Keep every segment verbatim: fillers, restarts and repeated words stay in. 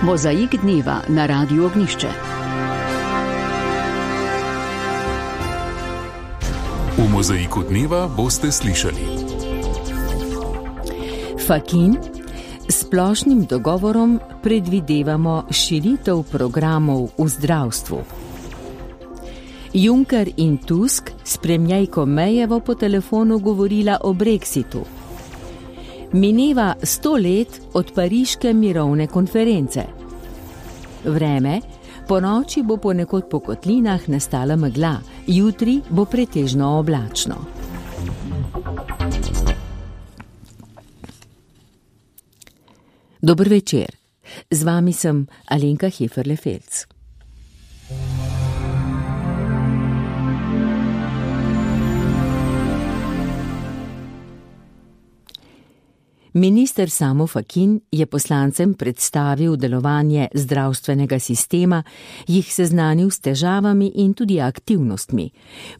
Mozaik dneva na Radiu Ognjišče. V Mozaiku dneva boste slišali: Fakin. S splošnim dogovorom predvidevamo širitev programov v zdravstvu. Juncker in Tusk s premierko Mayevo po telefonu govorila o Brexitu. Mineva sto let od pariške mirovne konference. Vreme, po noči bo ponekod po kotlinah nastala megla, jutri bo pretežno oblačno. Dober večer, z vami sem Alenka Heferle-Felc. Minister Samo Fakin je poslancem predstavil delovanje zdravstvenega sistema, jih seznanil s težavami in tudi aktivnostmi.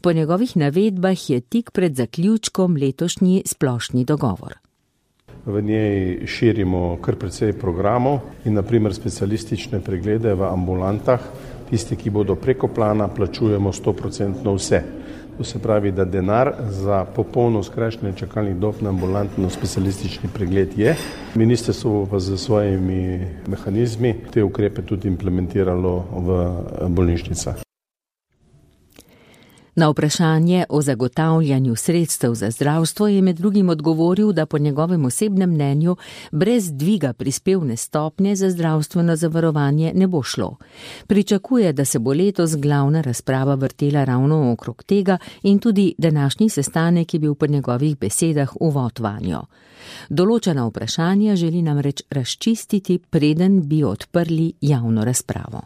Po njegovih navedbah je tik pred zaključkom letošnji splošni dogovor. V njej širimo kar precej programov in na primer specialistične preglede v ambulantah. Tisti, ki bodo preko plana, plačujemo sto procentno vse. To se pravi, da denar za popolno skrajšanje čakalnih dob na ambulantno specialistični pregled je. Ministrstvo pa z svojimi mehanizmi te ukrepe tudi implementiralo v bolnišnicah. Na vprašanje o zagotavljanju sredstev za zdravstvo je med drugim odgovoril, da po njegovem osebnem mnenju brez dviga prispevne stopnje za zdravstveno zavarovanje ne bo šlo. Pričakuje, da se bo letos glavna razprava vrtela ravno okrog tega in tudi današnji sestanek je bil po njegovih besedah uvod vanjo. Določena vprašanja želi namreč razčistiti, preden bi odprli javno razpravo.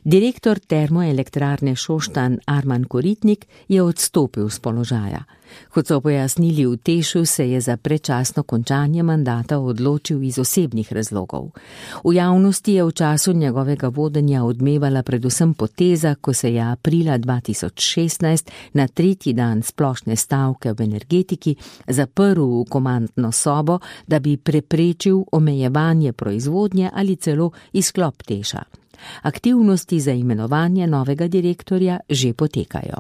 Direktor termoelektrarne Šoštanj Arman Koritnik je odstopil z položaja. Kot so pojasnili v Tešu, se je za predčasno končanje mandata odločil iz osebnih razlogov. V javnosti je v času njegovega vodenja odmevala predvsem poteza, ko se je aprila dva tisoč šestnajst na tretji dan splošne stavke v energetiki zaprl v komandno sobo, da bi preprečil omejevanje proizvodnje ali celo izklop Teša. Aktivnosti za imenovanje novega direktorja že potekajo.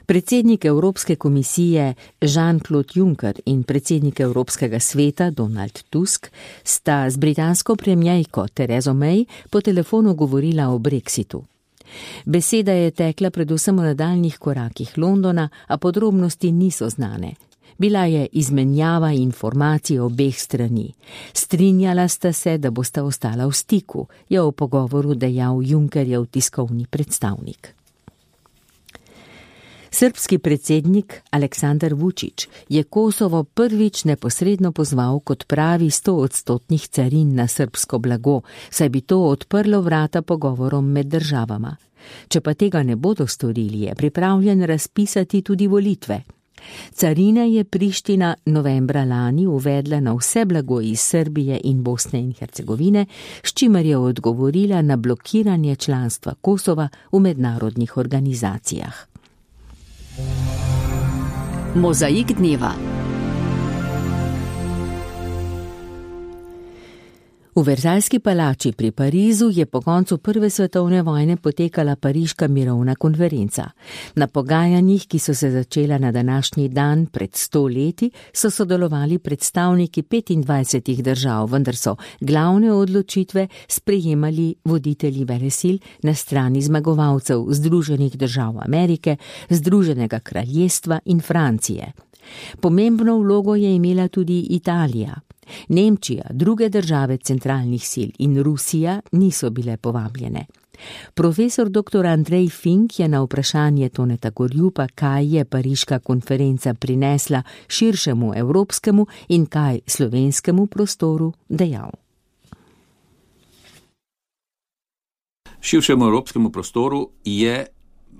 Predsednik Evropske komisije Jean-Claude Juncker in predsednik Evropskega sveta Donald Tusk sta z britansko premierko Terezo May po telefonu govorila o Brexitu. Beseda je tekla predvsem o nadaljnjih korakih Londona, a podrobnosti niso znane. Bila je izmenjava informacij obeh strani. Strinjala sta se, da bosta ostala v stiku, je v pogovoru dejal Junckerjev tiskovni predstavnik. Srbski predsednik Aleksandar Vučić je Kosovo prvič neposredno pozval k odpravi stoodstotnih carin na srbsko blago, saj bi to odprlo vrata pogovorom med državama. Če pa tega ne bodo storili, je pripravljen razpisati tudi volitve. Carine je Priština novembra lani uvedla na vse blago iz Srbije in Bosne in Hercegovine, s čimer je odgovorila na blokiranje članstva Kosova v mednarodnih organizacijah. Mozaik dneva. V Verzajski palači pri Parizu je po koncu prve svetovne vojne potekala pariška mirovna konferenca. Na pogajanjih, ki so se začela na današnji dan pred sto leti, so sodelovali predstavniki petindvajsetih držav, vendar so glavne odločitve sprejemali voditelji velesil na strani zmagovalcev Združenih držav Amerike, Združenega kraljestva in Francije. Pomembno vlogo je imela tudi Italija. Nemčija, druge države centralnih sil in Rusija niso bile povabljene. Profesor doktor Andrej Fink je na vprašanje Toneta Gorjupa, kaj je pariška konferenca prinesla širšemu evropskemu in kaj slovenskemu prostoru, dejal. Širšemu evropskemu prostoru je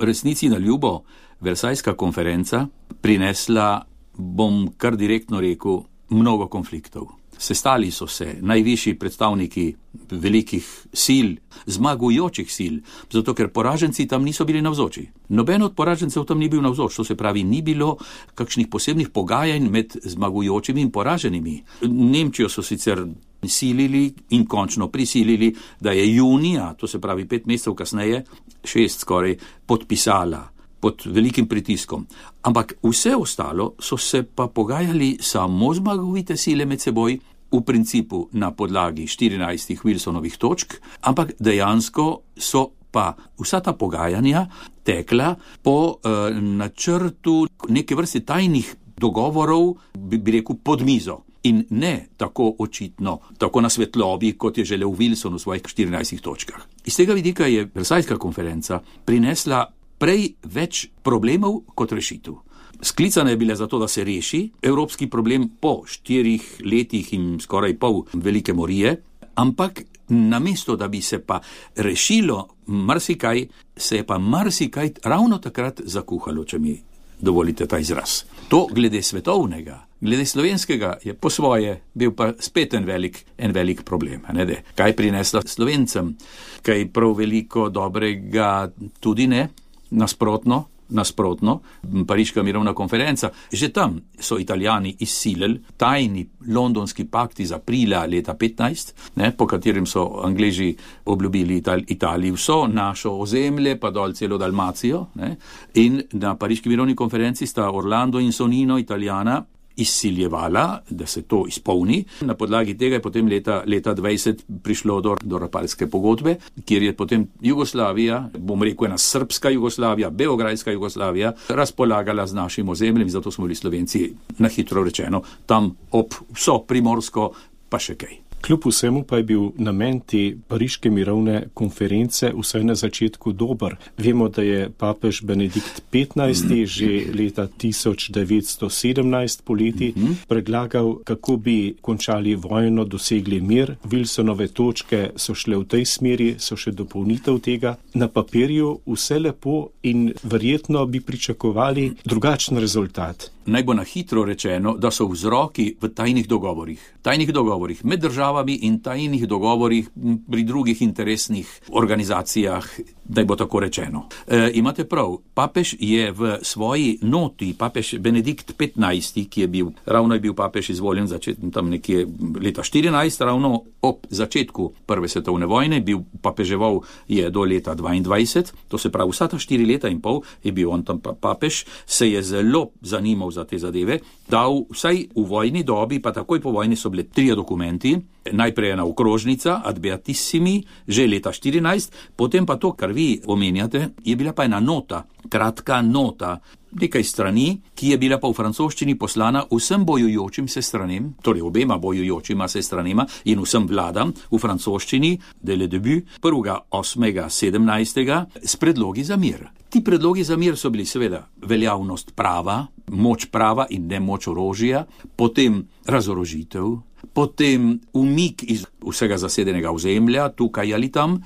resnici na ljubo Versajska konferenca prinesla, bom kar direktno rekel, mnogo konfliktov. Sestali so se najvišji predstavniki velikih sil, zmagujočih sil, zato ker poraženci tam niso bili navzoči. Noben od poražencev tam ni bil navzoč, to se pravi, ni bilo kakšnih posebnih pogajanj med zmagujočimi in poraženimi. Nemčijo so sicer silili in končno prisilili, da je junija, to se pravi pet mesecev kasneje, šest skoraj, podpisala pod velikim pritiskom. Ampak vse ostalo so se pa pogajali samo zmagovite sile med seboj, v principu na podlagi štirinajstih Wilsonovih točk, ampak dejansko so pa vsa ta pogajanja tekla po eh, načrtu neke vrste tajnih dogovorov, bi, bi rekel, pod mizo. In ne tako očitno, tako na svetlobi, kot je želel Wilson v svojih štirinajstih točkah. Iz tega vidika je Versajska konferenca prinesla prej več problemov kot rešitev. Sklicana je bila zato, da se reši evropski problem po štirih letih in skoraj pol velike morije, ampak namesto, da bi se pa rešilo marsikaj, se je pa marsikaj ravno takrat zakuhalo, če mi dovolite ta izraz. To glede svetovnega, glede slovenskega je po svoje bil pa spet en velik, en velik problem. Ne, de. Kaj prinesla Slovencem? Kaj prav veliko dobrega tudi ne? Nasprotno, nasprotno, Pariška mirovna konferenca. Že tam so Italijani izsilili tajni londonski pakt iz aprila leta petnajst, ne, po katerim so Angleži obljubili Ital- Italiji vso našo ozemlje, pa dol celo Dalmacijo. Ne, in na Pariški mirovni konferenci sta Orlando in Sonino, Italijana, izsiljevala, da se to izpolni. Na podlagi tega je potem leta, leta dvajset prišlo do, do Rapalske pogodbe, kjer je potem Jugoslavija, bom rekel ena srpska Jugoslavija, beograjska Jugoslavija, razpolagala z našim ozemljem, zato smo bili Slovenci, na hitro rečeno, tam ob vso Primorsko, pa še kaj. Kljub vsemu pa je bil namen te Pariške mirovne konference vsaj na začetku dober. Vemo, da je papež Benedikt petnajsti že leta tisoč devetsto sedemnajst poleti predlagal, kako bi končali vojno, dosegli mir. Wilsonove točke so šle v tej smeri, so še dopolnitev tega. Na papirju vse lepo in verjetno bi pričakovali drugačen rezultat. Naj bo na hitro rečeno, da so vzroki v tajnih dogovorih. Tajnih dogovorih med državami in tajnih dogovorih pri drugih interesnih organizacijah, da bo tako rečeno. E, imate prav, papež je v svoji noti, papež Benedikt petnajsti, ki je bil, ravno je bil papež izvoljen začet, tam nekje leta štirinajst, ravno ob začetku Prve svetovne vojne, bil papeževal je do leta dvaindvajset, to se pravi vsa ta štiri leta in pol je bil on tam papež, se je zelo zanimal za te zadeve, dal vsaj v vojni dobi, pa takoj po vojni so bile trije dokumenti, najprej ena okrožnica ad beatissimi, že leta štirinajst, potem pa to, kar vi omenjate, je bila pa ena nota, kratka nota, nekaj strani, ki je bila pa v francoščini poslana vsem bojujočim se stranem, torej obema bojujočima se stranema in vsem vladam v francoščini, de le debut, prvega osmega sedemnajstega, s predlogi za mir. Ti predlogi za mir so bili seveda veljavnost prava, moč prava in ne moč orožja, potem razorožitev, potem umik iz vsega zasedenega ozemlja, tukaj ali tam,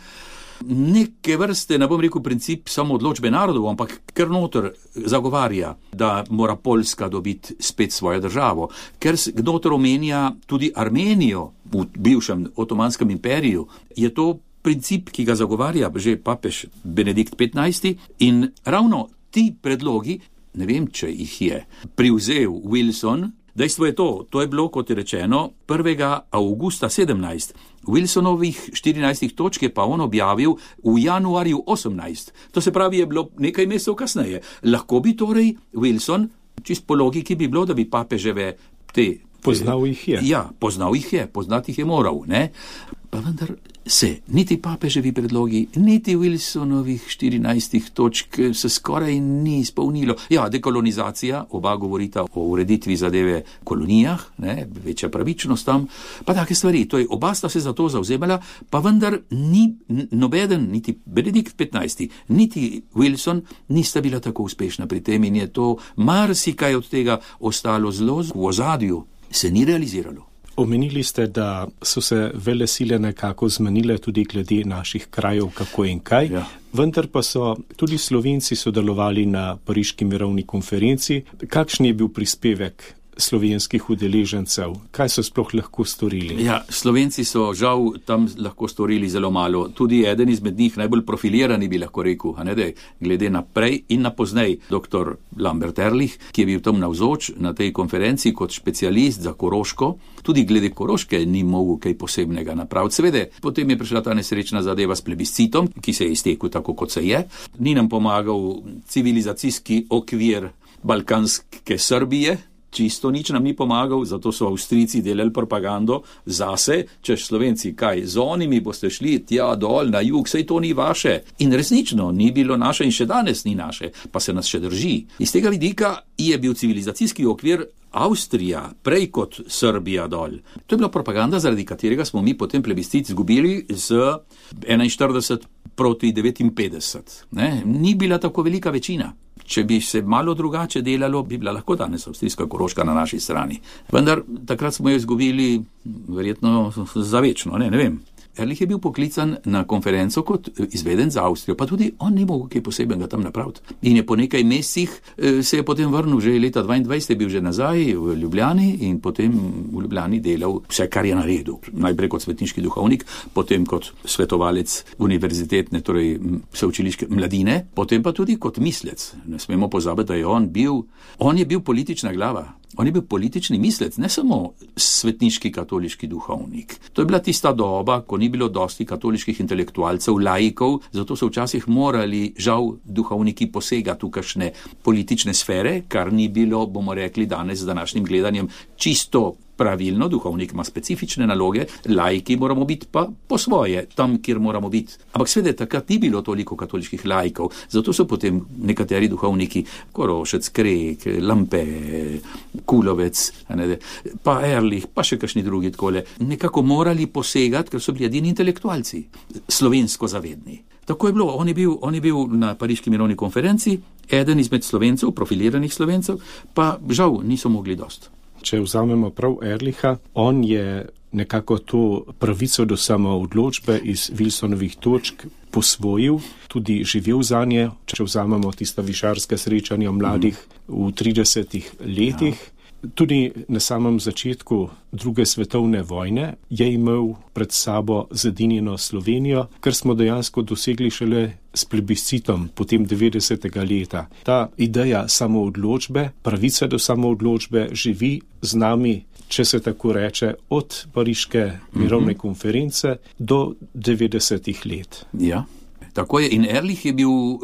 neke vrste, ne bom rekel princip samo odločbe narodov, ampak ker noter zagovarja, da mora Poljska dobiti spet svojo državo, ker noter omenja tudi Armenijo v bivšem Otomanskem imperiju, je to princip, ki ga zagovarja že papež Benedikt petnajsti in ravno ti predlogi, ne vem, če jih je privzel Wilson. Dejstvo je to, to je bilo, kot je rečeno, prvega avgusta sedemnajst. Wilsonovih štirinajstih točk je pa on objavil v januarju osemnajst. To se pravi, je bilo nekaj mesecev kasneje. Lahko bi torej Wilson, čist po logiki bi bilo, da bi papeževe te... Poznal jih je. Ja, poznal jih je, poznati jih je moral, ne? Pa vendar se niti papeževi predlogi, niti Wilsonovih štirinajstih točk se skoraj ni izpolnilo. Ja, dekolonizacija, oba govorita o ureditvi zadeve kolonijah, ne, večja pravičnost tam, pa take stvari. To je, oba sta se za to zavzemala, pa vendar ni nobeden, niti Benedikt petnajsti, niti Wilson nista bila tako uspešna pri tem in je to marsikaj od tega ostalo zelo v ozadju, se ni realiziralo. Omenili ste, da so se velesile nekako zmenile tudi glede naših krajev, kako in kaj, ja. Vendar pa so tudi Slovenci sodelovali na Pariški mirovni konferenci. Kakšen je bil prispevek slovenskih udeležencev? Kaj so sploh lahko storili? Ja, Slovenci so žal tam lahko storili zelo malo. Tudi eden izmed njih, najbolj profilirani bi lahko rekel, a ne da glede naprej in na poznej, doktor Lambert Ehrlich, ki je bil tam navzoč na tej konferenci kot specialist za Koroško. Tudi glede Koroške ni mogel kaj posebnega napraviti. Seveda, potem je prišla ta nesrečna zadeva s plebiscitom, ki se je iztekel tako, kot se je. Ni nam pomagal civilizacijski okvir balkanske Srbije, čisto nič nam ni pomagal, zato so Avstrijci delali propagando zase, češ Slovenci, kaj, z onimi boste šli tja dol na jug, sej to ni vaše. In resnično, ni bilo naše in še danes ni naše, pa se nas še drži. Iz tega vidika je bil civilizacijski okvir Avstrija prej kot Srbija dol. To je bila propaganda, zaradi katerega smo mi potem plebiscit zgubili z enainštirideset proti devetinpetdeset. Ne? Ni bila tako velika večina. Če bi se malo drugače delalo, bi bila lahko danes avstrijska Koroška na naši strani. Vendar takrat smo jo izgubili verjetno zavečno, ne, ne vem. Ehrlich je bil poklican na konferenco kot izveden za Avstrijo, pa tudi on ni mogel kaj posebnega tam napraviti. In je po nekaj mesecih se je potem vrnil, že leta dvaindvajset je bil že nazaj v Ljubljani in potem v Ljubljani delal vse, kar je naredil. Najprej kot svetniški duhovnik, potem kot svetovalec univerzitetne, torej sveučiliške mladine, potem pa tudi kot mislec. Ne smemo pozabiti, da je on bil, on je bil politična glava. On je bil politični mislec, ne samo svetniški katoliški duhovnik. To je bila tista doba, ko ni bilo dosti katoliških intelektualcev, laikov, zato so včasih morali, žal, duhovniki posegati v kakšne politične sfere, kar ni bilo, bomo rekli danes z današnjim gledanjem, čisto pravilno. Duhovnik ima specifične naloge, laiki moramo biti pa po svoje, tam, kjer moramo biti. Ampak sveda takrat ni bilo toliko katoliških laikov, zato so potem nekateri duhovniki, Korošec, Krek, Lampe, Kulovec, ne, pa Ehrlich, pa še kakšni drugi takole, nekako morali posegati, ker so bili edini intelektualci, slovensko zavedni. Tako je bilo, on je bil, on je bil na Pariški mirovni konferenci, eden izmed Slovencev, profiliranih Slovencev, pa žal niso mogli dost. Če vzamemo prav Ehrlicha, on je nekako to pravico do samoodločbe iz Wilsonovih točk posvojil, tudi živel za nje, če vzamemo tista višarska srečanja mladih v tridesetih letih. Ja. Tudi na samem začetku druge svetovne vojne je imel pred sabo zedinjeno Slovenijo, kar smo dejansko dosegli šele s plebiscitom potem devetdesetega leta. Ta ideja samoodločbe, pravica do samoodločbe živi z nami, če se tako reče, od Pariške mirovne mm-hmm. konference do devetdesetih let. Ja. Tako je, in Ehrlich je bil uh,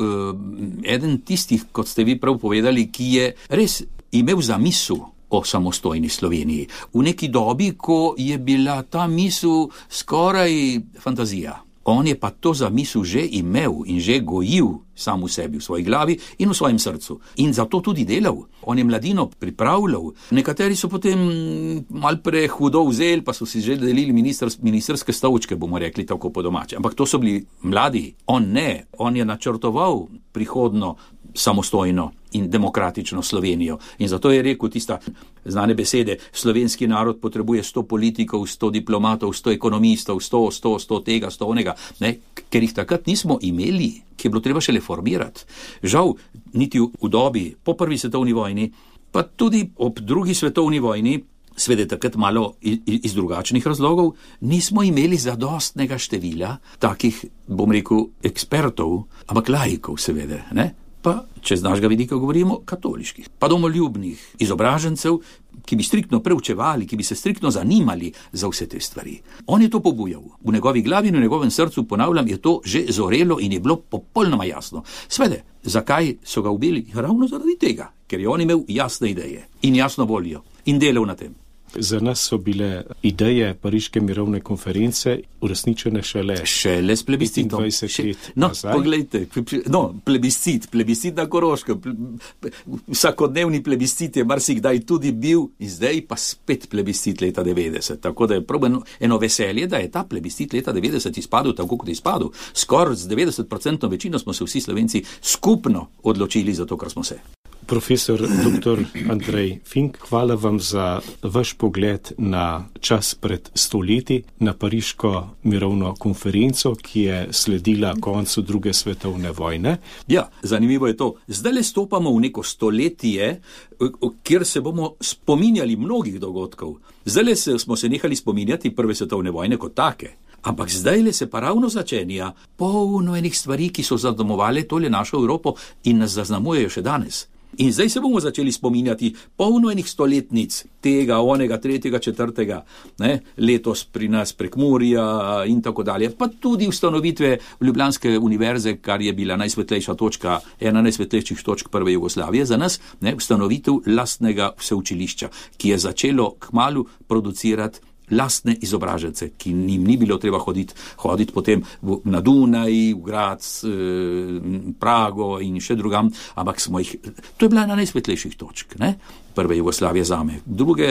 eden tistih, kot ste vi prav povedali, ki je res imel zamisel o samostojni Sloveniji. V neki dobi, ko je bila ta misel skoraj fantazija. On je pa to zamisel že imel in že gojil sam v sebi, v svoji glavi in v svojem srcu. In zato tudi delal. On je mladino pripravljal. Nekateri so potem mal prehudo vzeli, pa so si že delili minister, ministerske stolčke, bomo rekli tako po domače. Ampak to so bili mladi. On ne. On je načrtoval prihodno samostojno in demokratično Slovenijo. In zato je rekel tista znane besede, slovenski narod potrebuje sto politikov, sto diplomatov, sto ekonomistov, sto, sto, sto tega, sto onega, ne? Ker jih takrat nismo imeli, ki je bilo treba še reformirati. Žal, niti v, v dobi po prvi svetovni vojni, pa tudi ob drugi svetovni vojni, sveda takrat malo iz, iz drugačnih razlogov, nismo imeli zadostnega števila takih, bom rekel, ekspertov, ampak laikov seveda, ne? Pa, če z našega vidika govorimo, katoliških, pa domoljubnih izobražencev, ki bi striktno preučevali, ki bi se striktno zanimali za vse te stvari. On je to pobujal. V njegovi glavi in v njegovem srcu, ponavljam, je to že zorelo in je bilo popolnoma jasno. Svede, zakaj so ga ubili? Ravno zaradi tega, ker je on imel jasne ideje in jasno voljo in delal na tem. Za nas so bile ideje Pariške mirovne konference uresničene šele šele s plebiscitom. dvajset let no, nazaj. Poglejte, no, plebiscit, plebiscit na Koroškem, vsakodnevni plebiscit je marsikdaj tudi bil in zdaj pa spet plebiscit leta devetdeset. Tako da je prav eno veselje, da je ta plebiscit leta devetdeset izpadel tako, kot je izpadel. Skoraj z devetdeset procentov večino smo se vsi Slovenci skupno odločili za to, kar smo se. Profesor doktor Andrej Fink, hvala vam za vaš pogled na čas pred stoletji, na pariško mirovno konferenco, ki je sledila koncu druge svetovne vojne. Ja, zanimivo je to. Zdaj le stopamo v neko stoletje, kjer se bomo spominjali mnogih dogodkov. Zdaj le smo se nehali spominjati prve svetovne vojne kot take. Ampak zdaj le se pa ravno začenja polno enih stvari, ki so zadomovale tole našo Evropo in nas zaznamujejo še danes. In zdaj se bomo začeli spominjati polno enih stoletnic, tega, onega, tretjega, četrtega, ne, letos pri nas Prekmurja in tako dalje, pa tudi ustanovitve Ljubljanske univerze, kar je bila najsvetlejša točka, ena najsvetlejših točk prve Jugoslavije za nas, ne, ustanovitev lastnega vseučilišča, ki je začelo kmalu producirati lastne izobražence, ki njim ni bilo treba hoditi, hoditi potem v, na Dunaj, v Graz, eh, Prago in še drugam, ampak smo jih, to je bila ena najsvetlejših točk, ne, prve Jugoslavije zame. Druge,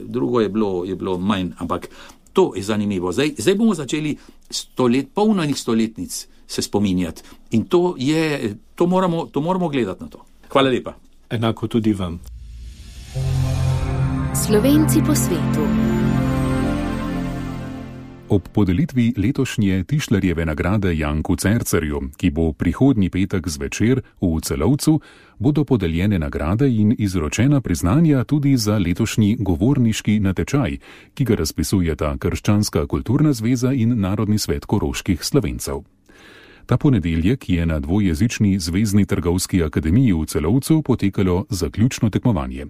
drugo je bilo, je bilo manj, ampak to je zanimivo. Zdaj, zdaj bomo začeli stolet, polno enih stoletnic se spominjati in to je, to moramo, to moramo gledati na to. Hvala lepa. Enako tudi vam. Slovenci po svetu. Ob podelitvi letošnje Tišlerjeve nagrade Janku Cercerju, ki bo prihodnji petek zvečer v Celovcu, bodo podeljene nagrade in izročena priznanja tudi za letošnji govorniški natečaj, ki ga razpisujeta Krščanska kulturna zveza in Narodni svet koroških Slovencev. Ta ponedeljek je na dvojezični Zvezni trgovski akademiji v Celovcu potekalo zaključno tekmovanje.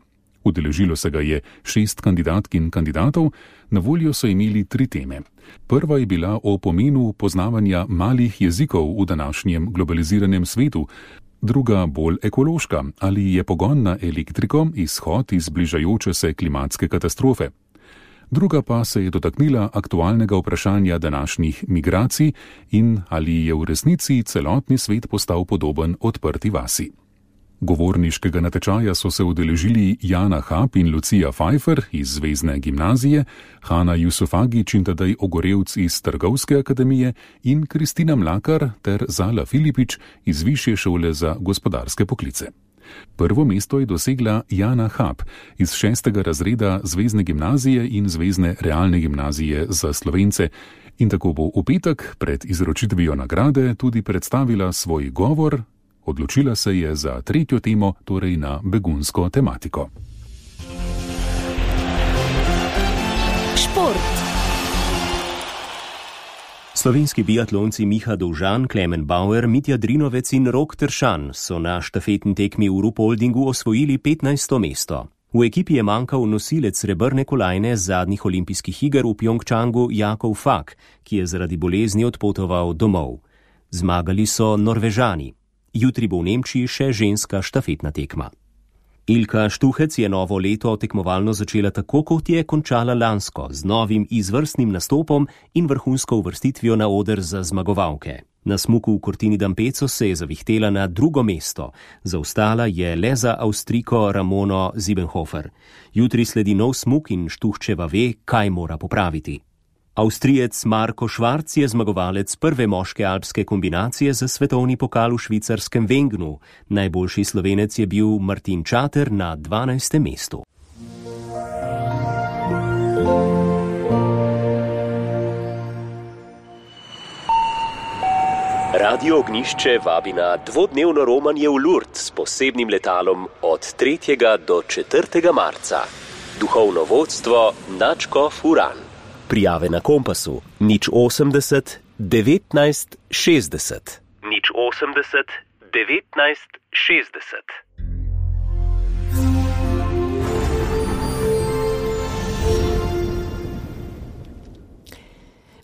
Udeležilo se ga je šest kandidatk in kandidatov, na voljo so imeli tri teme. Prva je bila o pomenu poznavanja malih jezikov v današnjem globaliziranem svetu, druga bolj ekološka, ali je pogon na elektriko izhod iz bližajoče se klimatske katastrofe. Druga pa se je dotaknila aktualnega vprašanja današnjih migracij in ali je v resnici celotni svet postal podoben odprti vasi. Govorniškega natečaja so se udeležili Jana Hap in Lucija Pfeiffer iz Zvezne gimnazije, Hana Jusufagič in tedaj Ogorevc iz Trgovske akademije in Kristina Mlakar ter Zala Filipič iz Višje šole za gospodarske poklice. Prvo mesto je dosegla Jana Hap iz šestega razreda Zvezne gimnazije in Zvezne realne gimnazije za Slovence in tako bo v petek pred izročitvijo nagrade tudi predstavila svoj govor. Odločila se je za tretjo temo, torej na begunsko tematiko. Šport. Slovenski biatlonci Miha Dovžan, Klemen Bauer, Mitja Drinovec in Rok Tršan so na štafetni tekmi v Rupoldingu osvojili petnajsto mesto. V ekipi je manjkal nosilec srebrne kolajne z zadnjih olimpijskih iger v Pjongčangu Jakov Fak, ki je zaradi bolezni odpotoval domov. Zmagali so Norvežani. Jutri bo v Nemčiji še ženska štafetna tekma. Ilka Štuhec je novo leto tekmovalno začela tako, kot je končala lansko, z novim izvrstnim nastopom in vrhunsko uvrstitvijo na oder za zmagovalke. Na smuku v Cortini d'Ampezzo se je zavihtela na drugo mesto, zaostala je le za Avstrijko Ramono Siebenhofer. Jutri sledi nov smuk in Štuhčeva ve, kaj mora popraviti. Avstrijec Marko Švarc je zmagovalec prve moške alpske kombinacije za svetovni pokal v švicarskem Wengnu. Najboljši Slovenec je bil Martin Čater na dvanajstem mestu. Radio Ognišče vabi na dvodnevno romanje v Lourdes s posebnim letalom od tretjega do četrtega marca. Duhovno vodstvo Načko Furan. Prijave na Kompasu nič osemdeset devetnajst šestdeset. nič osemdeset devetnajst šestdeset.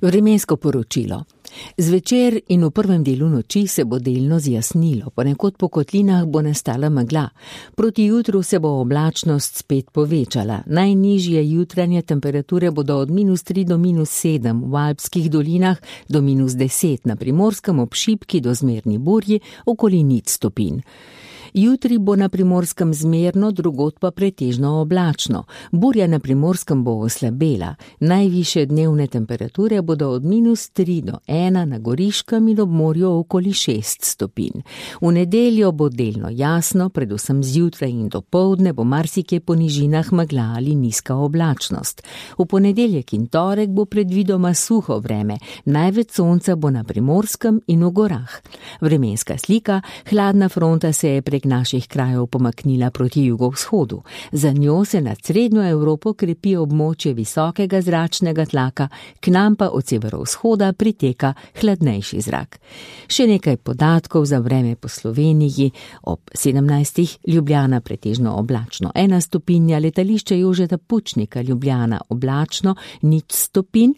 Vremensko poročilo. Zvečer in v prvem delu noči se bo delno zjasnilo, ponekod po kotlinah bo nastala megla. Proti jutru se bo oblačnost spet povečala. Najnižje jutranje temperature bodo od minus tri do minus sedem, v alpskih dolinah do minus deset, na Primorskem ob šibki do zmerni burji okoli nič stopinj. Jutri bo na Primorskem zmerno, drugod pa pretežno oblačno. Burja na Primorskem bo oslabela. Najvišje dnevne temperature bodo od minus tri do ena na Goriškem in ob morju okoli šest stopinj. V nedeljo bo delno jasno, predvsem zjutraj in dopoldne bo marsikje po nižinah megla ali nizka oblačnost. V ponedeljek in torek bo predvidoma suho vreme. Največ sonca bo na Primorskem in v gorah. Vremenska slika: hladna fronta se je prek naših krajev pomaknila proti jugovzhodu. Za njo se nad srednjo Evropo krepi območje visokega zračnega tlaka, k nam pa od severovzhoda priteka hladnejši zrak. Še nekaj podatkov za vreme po Sloveniji. Ob sedemnajstih Ljubljana pretežno oblačno ena stopinja, letališče Jožeta Pučnika Ljubljana oblačno nič stopinj,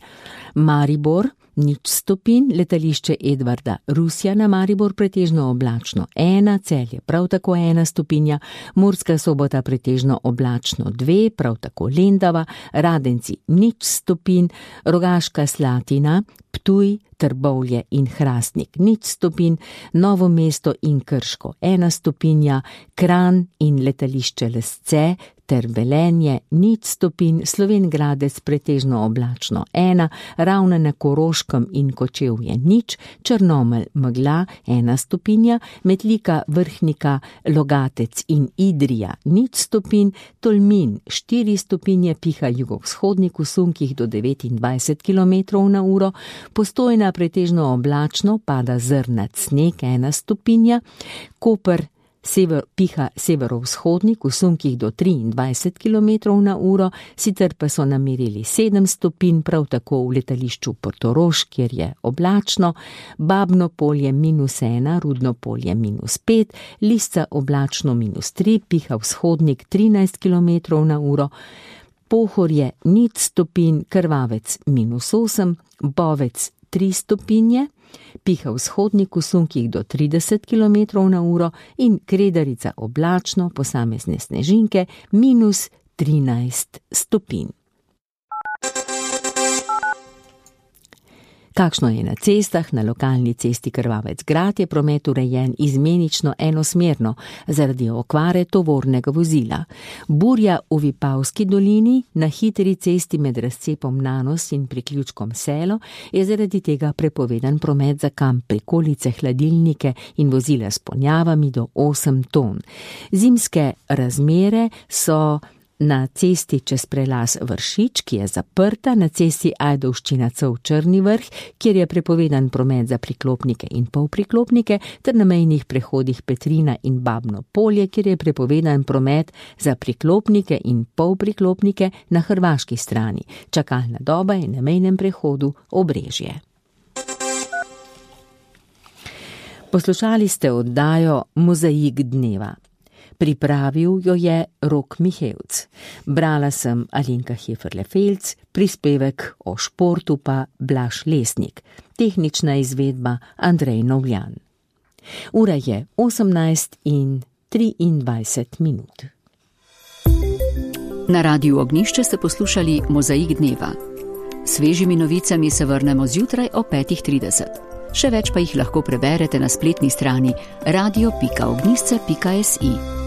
Maribor nič stopinj, letališče Edvarda Rusjana Maribor pretežno oblačno ena, Celje prav tako ena stopinja, Murska Sobota pretežno oblačno dve, prav tako Lendava, Radenci nič stopinj, Rogaška Slatina, Ptuj, Trbovlje in Hrastnik nič stopinj, Novo mesto in Krško ena stopinja, Kranj in letališče Lesce ter Velenje nič stopinj, Slovenj Gradec pretežno oblačno ena, Ravne na Koroškem in Kočevje nič, Črnomelj megla ena stopinja, Metlika, Vrhnika, Logatec in Idrija nič stopinj, Tolmin štiri stopinje, piha jugovzhodnik v sunkih do devetindvajset kilometrov na uro, Postojna pretežno oblačno, pada zrnat sneg ena stopinja, Koper Sever, piha severovzhodnik v sunkih do triindvajset kilometrov na uro, sicer pa so namerili sedem stopinj, prav tako v letališču Portorož, kjer je oblačno, Babno Polje minus ena, Rudno Polje minus pet, Lisca oblačno minus tri, piha vzhodnik trinajst kilometrov na uro, Pohorje nič stopinj, Krvavec minus osem, Bovec tri stopinje, piha vzhodnik v sunkih do trideset kilometrov na uro in Kredarica oblačno, posamezne snežinke minus trinajst stopinj. Kakšno je na cestah? Na lokalni cesti Krvavec Grad je promet urejen izmenično enosmerno zaradi okvare tovornega vozila. Burja v Vipavski dolini na hitri cesti med razcepom Nanos in priključkom Selo je zaradi tega prepovedan promet za kamp, prikolice, hladilnike in vozila s ponjavami do osem ton. Zimske razmere so na cesti čez prelaz Vršič, ki je zaprta, na cesti Ajdovščina Cov Črni Vrh, kjer je prepovedan promet za priklopnike in polpriklopnike, ter na mejnih prehodih Petrina in Babno Polje, kjer je prepovedan promet za priklopnike in polpriklopnike na hrvaški strani. Čakalna doba je na mejnem prehodu Obrežje. Poslušali ste oddajo Mozaik dneva. Pripravil jo je Rok Mihevc. Brala sem Alenka Heferle-Felc, prispevek o športu pa Blaž Lesnik, tehnična izvedba Andrej Novljan. Ura je osemnajst in triindvajset minut. Na Radiu Ognjišče ste poslušali Mozaik dneva. Svežimi novicami se vrnemo zjutraj o petih trideset. Še več pa jih lahko preberete na spletni strani radio pika ognjišče pika si.